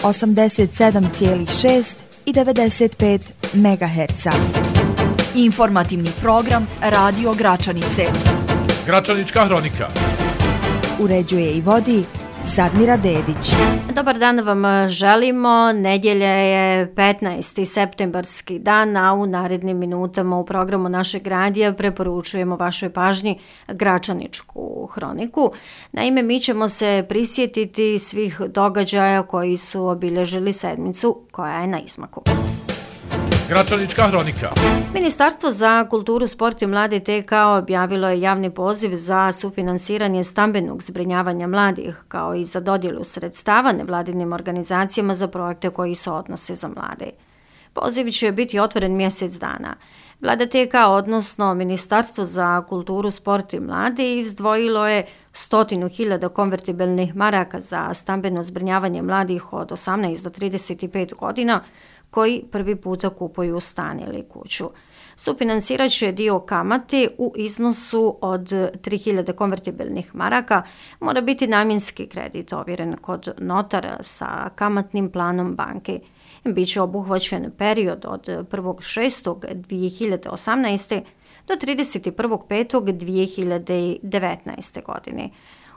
87,6 i 95 MHz. Informativni program Radio Gračanice. Gračanička hronika. Uređuje i vodi Sadmira Dedić. Dobar dan vam želimo. Nedjelja je 15. septembarski dan, a u narednim minutama u programu našeg radija preporučujemo vašoj pažnji Gračaničku hroniku. Naime, mi ćemo se prisjetiti svih događaja koji su obilježili sedmicu koja je na izmaku. Gračanička hronika. Ministarstvo za kulturu, sport i mlade TK objavilo je javni poziv za sufinansiranje stambenog zbrinjavanja mladih, kao i za dodjelu sredstava nevladinim organizacijama za projekte koji se odnose za mlade. Poziv će biti otvoren mjesec dana. Vlada TK, odnosno Ministarstvo za kulturu, sport i mlade, izdvojilo je 100.000 konvertibilnih maraka za stambeno zbrinjavanje mladih od 18 do 35 godina, koji prvi puta kupuju stan ili kuću. Sufinansirat će dio kamate u iznosu od 3.000 konvertibilnih maraka, mora biti namjenski kredit ovjeren kod notara sa kamatnim planom banke. Biće obuhvaćen period od 1.6.2018. do 31.5.2019. godine.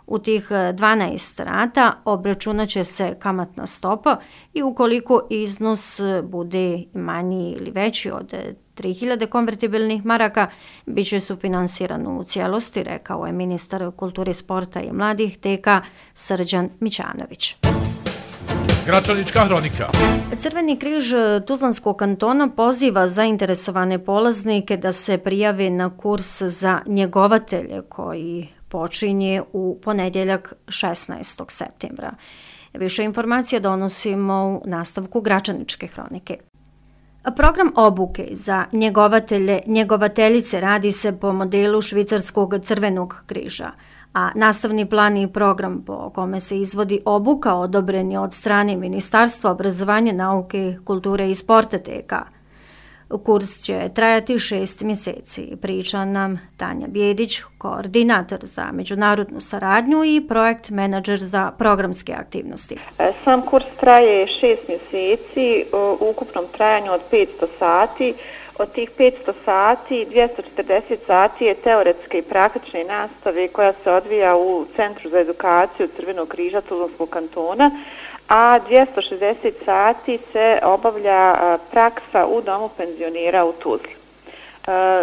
U tih 12 rata obračunat će se kamatna stopa i ukoliko iznos bude manji ili veći od 3.000 konvertibilnih maraka, bit će sufinansiran u cijelosti, rekao je ministar kulture, sporta i mladih TK Srđan Mićanović. Gračanička hronika. Crveni križ Tuzlanskog kantona poziva zainteresovane polaznike da se prijave na kurs za njegovatelje koji počinje u ponedjeljak 16. septembra. Više informacija donosimo u nastavku Gračaničke hronike. Program obuke za njegovatelje, njegovateljice radi se po modelu švicarskog crvenog križa, a nastavni plan i program po kome se izvodi obuka odobren je od strane Ministarstva obrazovanja, nauke, kulture i sporta TK. Kurs će trajati 6 mjeseci, priča nam Tanja Bjedić, koordinator za međunarodnu saradnju i projekt menadžer za programske aktivnosti. Sam kurs traje 6 mjeseci u ukupnom trajanju od 500 sati. Od tih 500 sati, 240 sati je teoretske i praktične nastave koja se odvija u Centru za edukaciju Crvenog križa Tuzlanskog kantona, a 260 sati se obavlja praksa u domu penzionera u Tuzli.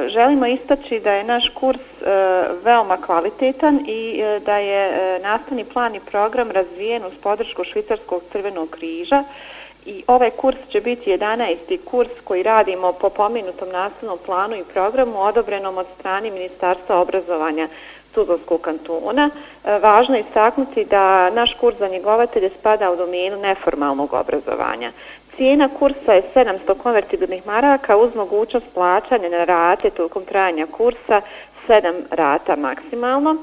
Želimo istaći da je naš kurs veoma kvalitetan i da je nastavni plan i program razvijen uz podršku Švicarskog crvenog križa. I ovaj kurs će biti 11. kurs koji radimo po pomenutom nastavnom planu i programu odobrenom od strane Ministarstva obrazovanja Tuzlanskog kantona. Važno je istaknuti da naš kurs za njegovatelje spada u domenu neformalnog obrazovanja. Cijena kursa je 700 konvertibilnih maraka uz mogućnost plaćanja na rate tokom trajanja kursa, 7 rata maksimalno.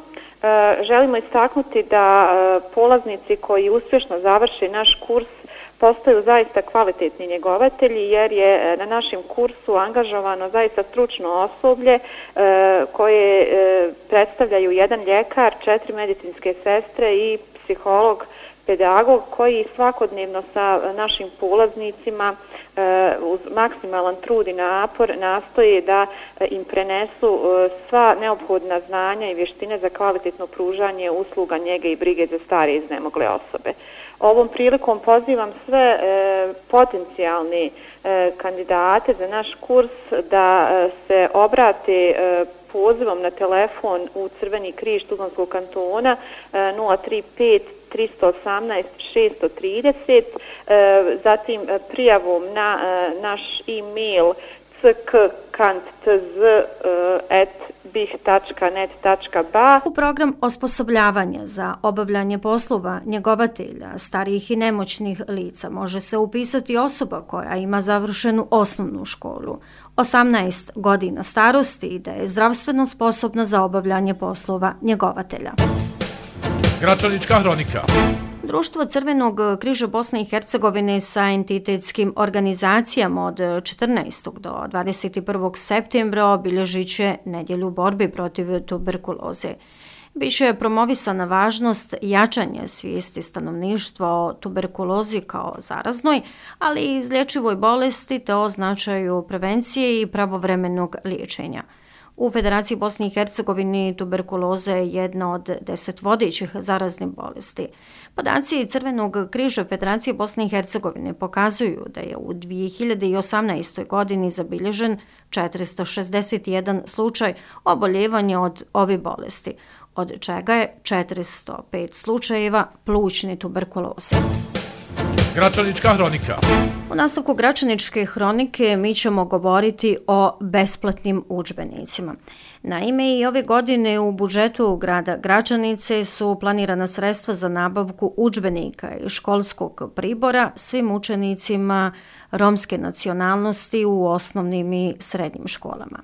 Želimo istaknuti da polaznici koji uspješno završe naš kurs postaju zaista kvalitetni njegovatelji jer je na našem kursu angažovano zaista stručno osoblje koje predstavljaju jedan ljekar, 4 medicinske sestre i psiholog, pedagog koji svakodnevno sa našim polaznicima uz maksimalan trud i napor nastoje da im prenesu sva neophodna znanja i vještine za kvalitetno pružanje usluga njege i brige za starije iznemogle osobe. Ovom prilikom pozivam sve potencijalne kandidate za naš kurs da se obrate pozivom na telefon u Crveni križ Tuzlanskog kantona 035 318 630, zatim prijavom na naš e-mail ck.kantz@bih.net.ba. U program osposobljavanja za obavljanje poslova njegovatelja starijih i nemoćnih lica može se upisati osoba koja ima završenu osnovnu školu, 18 godina starosti i da je zdravstveno sposobna za obavljanje poslova njegovatelja. Gračanička hronika. Društvo Crvenog križa Bosne i Hercegovine sa entitetskim organizacijama od 14. do 21. septembra obilježit će nedjelju borbe protiv tuberkuloze. Biće je promovisana važnost jačanja svijesti stanovništva o tuberkulozi kao zaraznoj, ali i izlječivoj bolesti te o značaju prevencije i pravovremenog liječenja. U Federaciji Bosne i Hercegovine tuberkuloza je jedna od 10 vodećih zaraznih bolesti. Podaci Crvenog križa Federacije Bosne i Hercegovine pokazuju da je u 2018. godini zabilježen 461 slučaj oboljevanja od ove bolesti, od čega je 405 slučajeva plućne tuberkuloze. Gračanička hronika. U nastavku Gračaničke hronike mi ćemo govoriti o besplatnim udžbenicima. Naime, i ove godine u budžetu grada Gračanice su planirana sredstva za nabavku udžbenika i školskog pribora svim učenicima romske nacionalnosti u osnovnim i srednjim školama.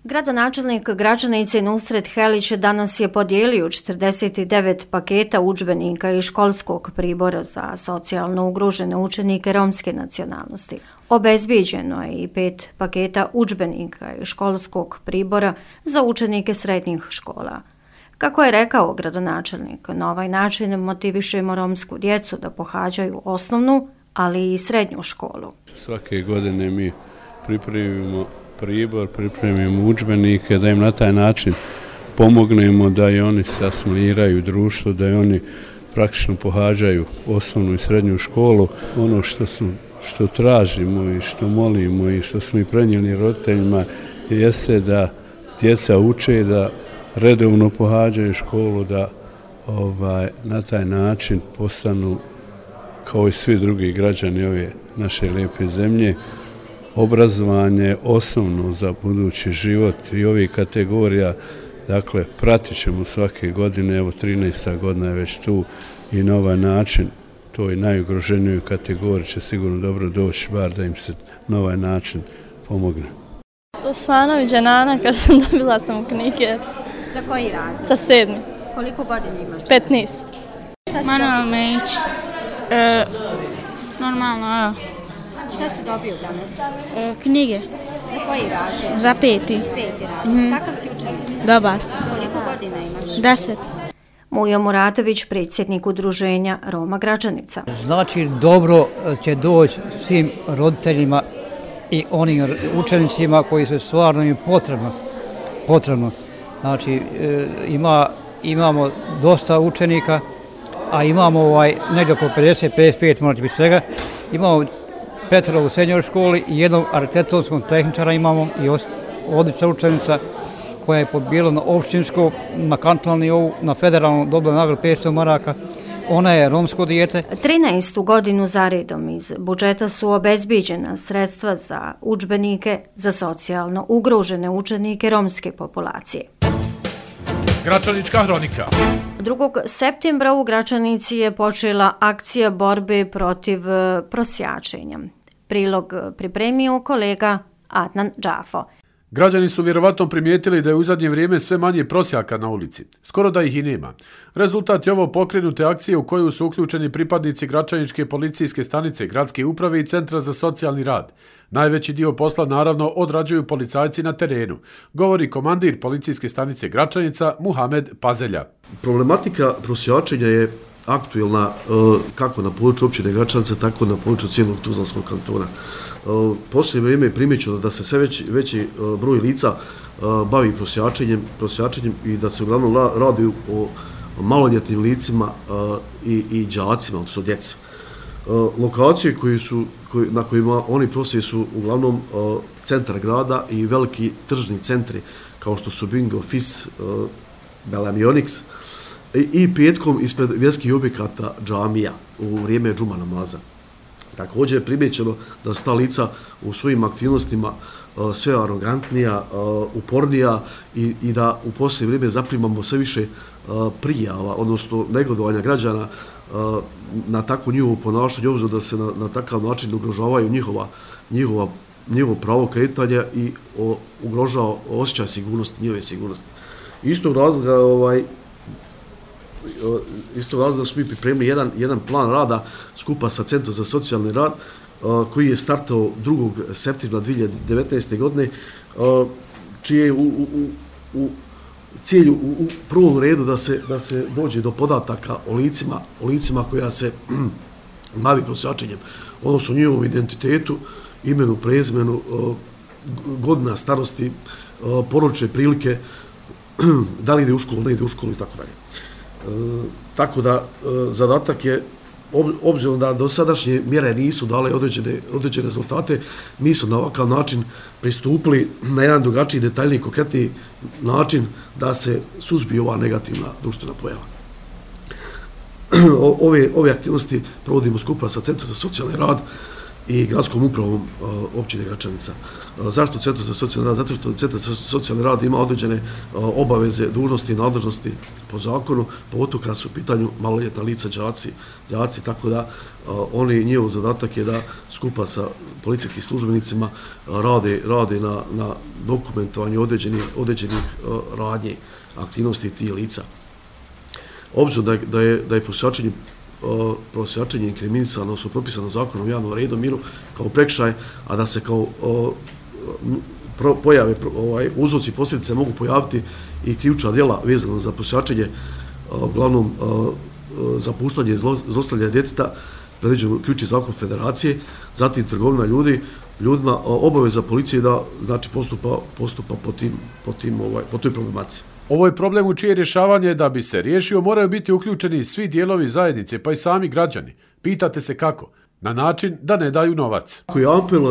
Gradonačelnik Gračanice Nusret Helić danas je podijelio 49 paketa udžbenika i školskog pribora za socijalno ugrožene učenike romske nacionalnosti. Obezbijeđeno je i 5 paketa udžbenika i školskog pribora za učenike srednjih škola. Kako je rekao gradonačelnik, na ovaj način motivišemo romsku djecu da pohađaju osnovnu, ali i srednju školu. Svake godine mi pripremimo udžbenike, da im na taj način pomognemo da i oni se asimiliraju društvo, da i oni praktično pohađaju osnovnu i srednju školu. Ono što tražimo i što molimo i što smo i prenijeli roditeljima jeste da djeca uče, da redovno pohađaju školu, da na taj način postanu kao i svi drugi građani ove naše lijepe zemlje. Obrazovanje osnovno za budući život i ovih kategorija, dakle, pratit ćemo svake godine, evo 13. godina je već tu i na ovaj način toj najugroženijoj kategoriji će sigurno dobro doći, bar da im se na ovaj način pomogne. Svanović Dženana, kad sam dobila sam knjige. Za koji razred? Za 7. Koliko godina imaš? 15. Manuel Mejić. Normalno, evo. Šta si dobio danas? Knjige. Za koji razred? Za 5. 5. razred. Kakav si učenik? Dobar. Koliko godina imaš? 10. Mujo Muratović, predsjednik udruženja Roma Gračanica. Znači, dobro će doći svim roditeljima i onim učenicima koji su stvarno im potrebno. Znači, imamo dosta učenika, a imamo negdje oko 50-55, možda biti svega. Imamo 5 u srednjoj školi i jednog arhitektonskog tehničara imamo i odlična učenica koja je pobijela na općinsko, na kantonalnom nivou, na federalnom dobila nagradu 500 maraka. Ona je romsko dijete. 13. godinu za redom iz budžeta su obezbijeđena sredstva za udžbenike za socijalno ugrožene učenike romske populacije. Gračanička hronika. 2. septembra u Gračanici je počela akcija borbe protiv prosjačenja. Prilog pripremio kolega Adnan Džafo. Građani su vjerovatno primijetili da je u zadnje vrijeme sve manje prosjaka na ulici. Skoro da ih i nema. Rezultat je ovo pokrenute akcije u koju su uključeni pripadnici Gračaničke policijske stanice, gradske uprave i Centra za socijalni rad. Najveći dio posla naravno odrađuju policajci na terenu, govori komandir policijske stanice Gračanica Muhamed Pazelja. Problematika prosjačenja je aktuelna kako na području općine Gračanica, tako na području cijelog Tuzlanskog kantona. Posljednje vrijeme je primjećeno da se sve veći broj lica bavi prosjačenjem i da se uglavnom radi o maloljetnim licima i đacima, odnosno djeci. Lokacije na kojima oni prosije su uglavnom centar grada i veliki tržni centri kao što su Bingo, Fis, Belamionix i petkom ispred vjerskih objekata džamija u vrijeme džuma namaza. Također je primjećeno da su ta lica u svojim aktivnostima sve arogantnija, upornija i da u posljednje vrijeme zaprimamo sve više prijava, odnosno negodovanja građana na takvo njihovo ponašanje, obzirom da se na takav način ugrožavaju njihovo pravo kretanja i ugrožava osjećaj sigurnosti, njihove sigurnosti. Istog razloga smo mi pripremili jedan plan rada skupa sa Centrom za socijalni rad koji je startao 2. septembra 2019. godine, čije u cilj u prvom redu da se dođe do podataka o licima koja se bavi prosjačenjem, odnosno njihovom identitetu, imenu, prezimenu, godina starosti, porodične prilike, da li ide u školu, ne ide u školu i tako dalje. Tako da zadatak je, obzirom da dosadašnje mjere nisu dale određene rezultate, mi smo na ovakav način pristupili na jedan drugačiji, detaljniji, konkretniji način da se suzbije ova negativna društvena pojava. Ove aktivnosti provodimo skupa sa Centrom za socijalni rad i gradskom upravom općine Gračanica. Zašto Centar za socijalni rad? Zato što Centar za socijalni rad ima određene obaveze, dužnosti i nadležnosti po zakonu, pogotovo kada su u pitanju maloljetna lica, đaci, tako da njihov zadatak je da skupa sa policijskim službenicima rade na dokumentovanju određenih radnji, aktivnosti tih lica. Obzirom da je prosjačenje inkriminisano, su propisano zakonom o javnom redu, miru kao prekršaj, a da se kao pojave, uzroci i posljedice mogu pojaviti i krivična djela vezana za prosjačenje, uglavnom zapuštanje i zlostavljanje djeteta, predviđeno krivični zakon federacije, zatim trgovina ljudima, obaveza policije da znači postupa po toj problematici. Ovo je problem u čije rješavanje, da bi se riješio, moraju biti uključeni svi dijelovi zajednice, pa i sami građani. Pitate se kako? Na način da ne daju novac.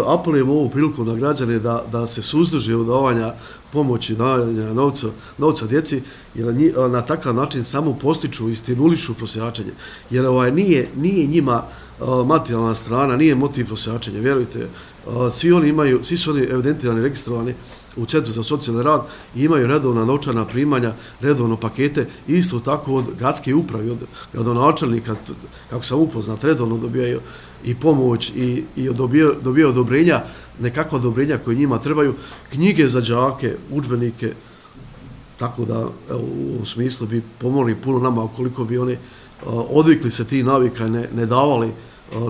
Apelujemo ovu priliku na građane da se suzdrže od davanja pomoći, davanja novca djeci, jer na takav način samo postiču i stimulišu prosjačenje. Jer nije njima materijalna strana, nije motiv prosjačenja, vjerujte. Svi su oni evidentirani, registrovani u Centru za socijalni rad i imaju redovna novčana primanja, redovno pakete, isto tako od gradske uprave, od gradonačelnika, kako sam upoznat, redovno dobijaju i pomoć i dobijaju odobrenja, nekakva odobrenja koje njima trebaju, knjige za đake, udžbenike, tako da u ovom smislu bi pomogli puno nama ukoliko bi oni odvikli se tih navika i ne davali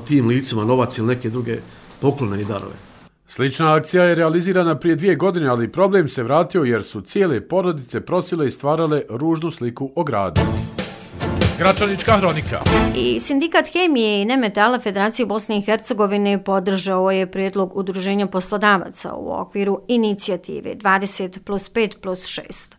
tim licima novac ili neke druge poklone i darove. Slična akcija je realizirana prije 2 godine, ali problem se vratio jer su cijele porodice prosile i stvarale ružnu sliku o gradu. Gračanička hronika. I Sindikat hemije i nemetala Federacije Bosne i Hercegovine podržao je prijedlog Udruženja poslodavaca u okviru inicijative 20+5+6.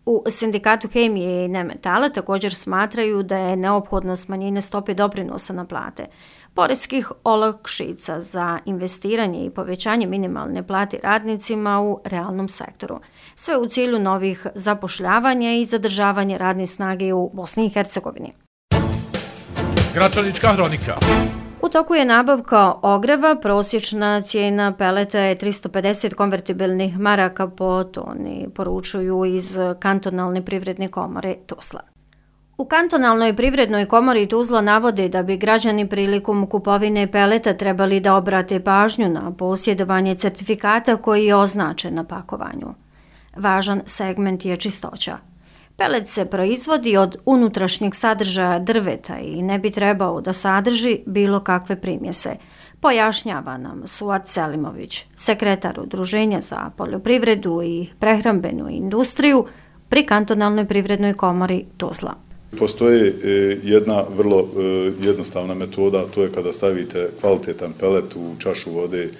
U Sindikatu hemije i nemetala također smatraju da je neophodno smanjenje stope doprinosa na plate, poreskih olakšica za investiranje i povećanje minimalne plate radnicima u realnom sektoru. Sve u cilju novih zapošljavanja i zadržavanja radne snage u Bosni i Hercegovini. Gračanička hronika. U toku je nabavka ogreva, prosječna cijena peleta je 350 konvertibilnih maraka po toni, poručuju iz Kantonalne privredne komore Tuzla. U Kantonalnoj privrednoj komori Tuzla navode da bi građani prilikom kupovine peleta trebali da obrate pažnju na posjedovanje certifikata koji je označen na pakovanju. Važan segment je čistoća. Pelet se proizvodi od unutrašnjeg sadržaja drveta i ne bi trebao da sadrži bilo kakve primjese, pojašnjava nam Suat Selimović, sekretar Udruženja za poljoprivredu i prehrambenu industriju pri Kantonalnoj privrednoj komori Tuzla. Postoji jedna vrlo jednostavna metoda, to je kada stavite kvalitetan pelet u čašu vode,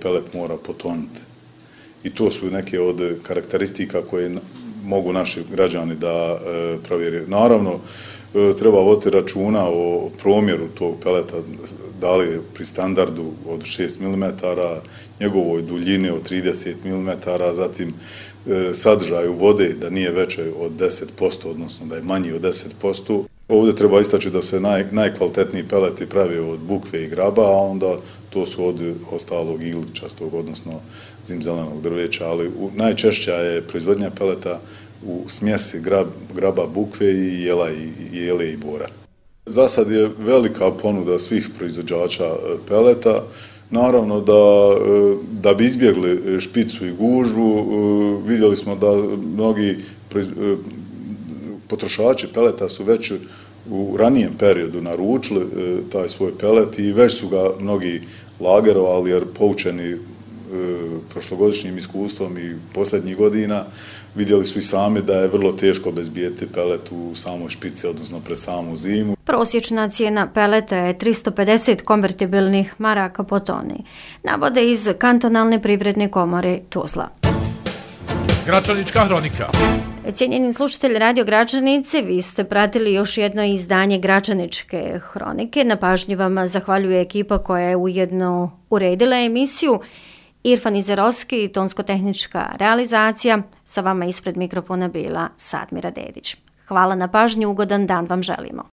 pelet mora potonuti. I to su neke od karakteristika koje mogu naši građani da provjeri. Naravno, treba voditi računa o promjeru tog peleta, da li je pri standardu od 6 mm, njegovoj duljini od 30 mm, zatim sadržaju vode da nije veće od 10%, odnosno da je manji od 10%. Ovdje treba istaći da se najkvalitetniji peleti pravi od bukve i graba, a onda to su od ostalog igličastog, odnosno zimzelenog drveća, ali najčešća je proizvodnja peleta u smjesi graba, bukve i jele i bora. Za sad je velika ponuda svih proizvođača peleta. Naravno da bi izbjegli špicu i gužvu, vidjeli smo da mnogi potrošači peleta su već u ranijem periodu naručili taj svoj pelet i već su ga mnogi lagerovali jer poučeni prošlogodišnjim iskustvom i posljednjih godina vidjeli su i sami da je vrlo teško obezbijeti pelet u samoj špici, odnosno pred samu zimu. Prosječna cijena peleta je 350 konvertibilnih maraka po toni, navode iz Kantonalne privredne komore Tuzla. Gračanička hronika. Cijenjeni slušatelji Radio Gračanice, vi ste pratili još jedno izdanje Gračaničke hronike. Na pažnji vam zahvaljuje ekipa koja je ujedno uredila emisiju. Irfan Izerovski, tonsko-tehnička realizacija. Sa vama ispred mikrofona bila Sadmira Dedić. Hvala na pažnju, ugodan dan vam želimo.